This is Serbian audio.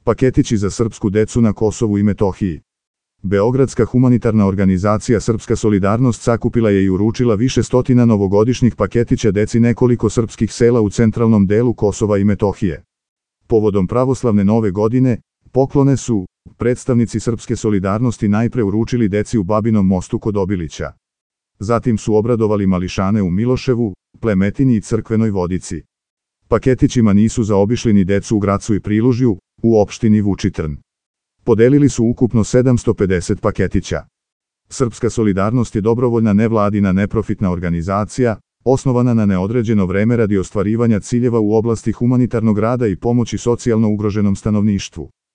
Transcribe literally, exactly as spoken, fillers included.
Paketići za srpsku decu na Kosovu i Metohiji. Beogradska humanitarna organizacija Srpska solidarnost sakupila je i uručila više stotina novogodišnjih paketića deci nekoliko srpskih sela u centralnom delu Kosova i Metohije. Povodom pravoslavne nove godine, poklone su predstavnici Srpske solidarnosti najpre uručili deci u Babinom Mostu kod Obilića. Zatim su obradovali mališane u Miloševu, Plemetini i Crkvenoj Vodici. Paketićima nisu zaobišli ni decu u Gracu i Prilužju, u opštini Vučitrn. Podelili su ukupno sedamsto pedeset paketića. Srpska solidarnost je dobrovoljna nevladina neprofitna organizacija, osnovana na neodređeno vreme radi ostvarivanja ciljeva u oblasti humanitarnog rada i pomoći socijalno ugroženom stanovništvu.